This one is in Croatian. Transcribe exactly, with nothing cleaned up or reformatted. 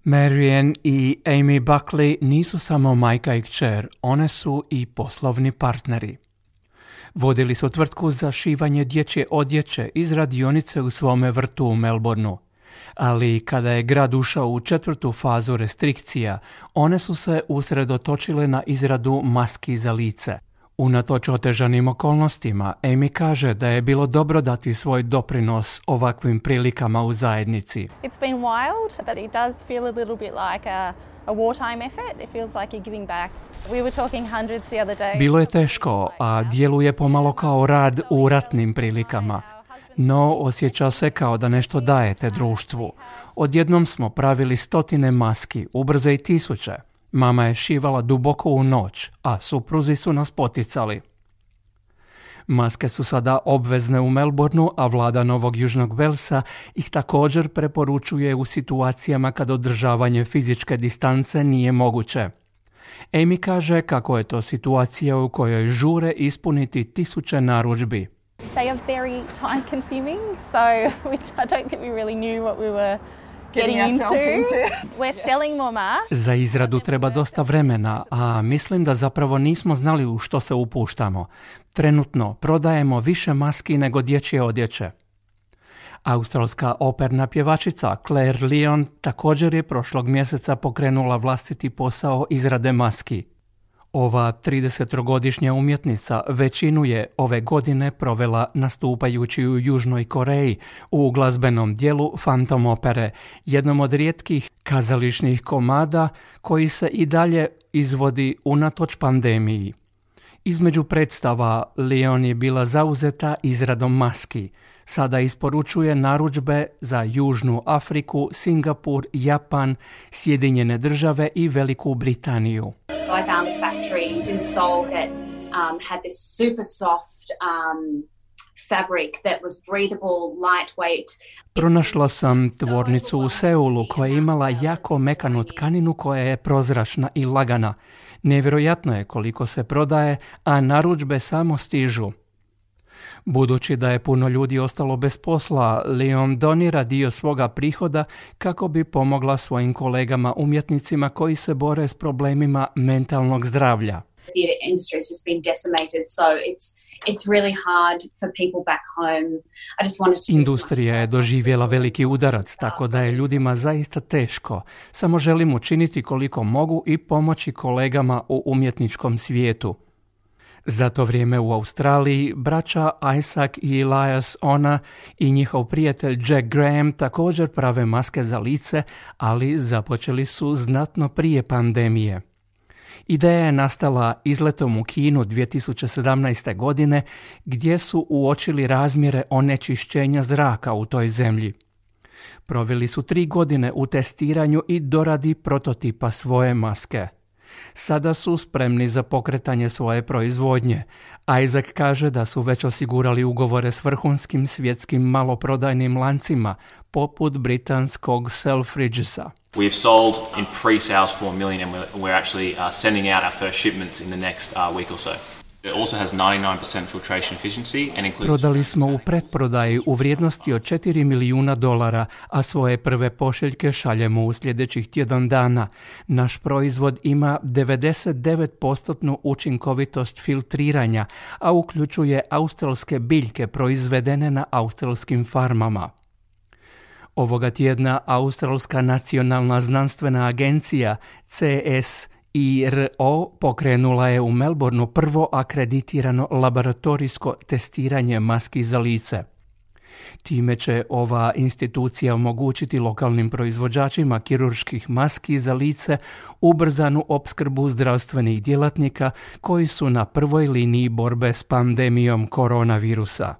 Marianne i Amy Buckley nisu samo majka i kćer, one su i poslovni partneri. Vodili su tvrtku za šivanje dječje odjeće iz radionice u svome vrtu u Melbourneu. Ali kada je grad ušao u četvrtu fazu restrikcija, one su se usredotočile na izradu maski za lice. Unatoč otežanim okolnostima, Amy kaže da je bilo dobro dati svoj doprinos ovakvim prilikama u zajednici. It's been wild, but it does feel a little bit like a, a wartime effort. It feels like you're giving back. We were talking hundreds the other day. Bilo je teško, a djeluje pomalo kao rad u ratnim prilikama. No, osjeća se kao da nešto dajete društvu. Odjednom smo pravili stotine maski, ubrzo i tisuće. Mama je šivala duboko u noć, a supruzi su nas poticali. Maske su sada obvezne u Melbourneu, a vlada Novog Južnog Velsa ih također preporučuje u situacijama kad održavanje fizičke distance nije moguće. Amy kaže kako je to situacija u kojoj žure ispuniti tisuće narudžbi. They are very time consuming, so we, I don't think we really knew what we were getting into. We're selling more masks. Za izradu treba dosta vremena, a mislim da zapravo nismo znali u što se upuštamo. Trenutno prodajemo više maski nego dječje odjeće. Australska operna pjevačica Claire Lyon također je prošlog mjeseca pokrenula vlastiti posao izrade maski. Ova tridesetogodišnja umjetnica većinu je ove godine provela nastupajući u Južnoj Koreji u glazbenom dijelu Phantom opere, jednom od rijetkih kazališnih komada koji se i dalje izvodi unatoč pandemiji. Između predstava Lyon je bila zauzeta izradom maski. Sada isporučuje narudžbe za Južnu Afriku, Singapur, Japan, Sjedinjene Države i Veliku Britaniju. I found a factory in Seoul that um, had this super soft um, fabric that was breathable, lightweight. Pronašla sam tvornicu u Seulu koja je imala jako mekanu tkaninu koja je prozračna i lagana. Nevjerojatno je koliko se prodaje, a narudžbe samo stižu. Budući da je puno ljudi ostalo bez posla, Lyon donira dio svoga prihoda kako bi pomogla svojim kolegama umjetnicima koji se bore s problemima mentalnog zdravlja. Theatre industry has just been decimated, so it's it's really hard for people back home. I just wanted to Industrija je doživjela veliki udarac, tako da je ljudima zaista teško. Samo želim učiniti koliko mogu i pomoći kolegama u umjetničkom svijetu. Za to vrijeme u Australiji braća Isaac i Elias Ona i njihov prijatelj Jack Graham također prave maske za lice, ali započeli su znatno prije pandemije. Ideja je nastala izletom u Kinu dvije tisuće sedamnaeste. godine gdje su uočili razmjere onečišćenja zraka u toj zemlji. Proveli su tri godine u testiranju i doradi prototipa svoje maske. Sada su spremni za pokretanje svoje proizvodnje. Isaac kaže da su već osigurali ugovore s vrhunskim svjetskim maloprodajnim lancima, poput britanskog Selfridgesa. We've sold in pre-sales four million and we're actually uh, sending out our first shipments in the next uh, week or so. It also has ninety-nine percent filtration efficiency and includes... Prodali smo u pretprodaji u vrijednosti od četiri milijuna dolara, a svoje prve pošiljke šaljemo u sljedećih tjedan dana. Naš proizvod ima devedeset devet posto učinkovitost filtriranja, a uključuje australske biljke proizvedene na australskim farmama. Ovoga tjedna Australska nacionalna znanstvena agencija C S I R O pokrenula je u Melbourneu prvo akreditirano laboratorijsko testiranje maski za lice. Time će ova institucija omogućiti lokalnim proizvođačima kirurških maski za lice ubrzanu opskrbu zdravstvenih djelatnika koji su na prvoj liniji borbe s pandemijom koronavirusa.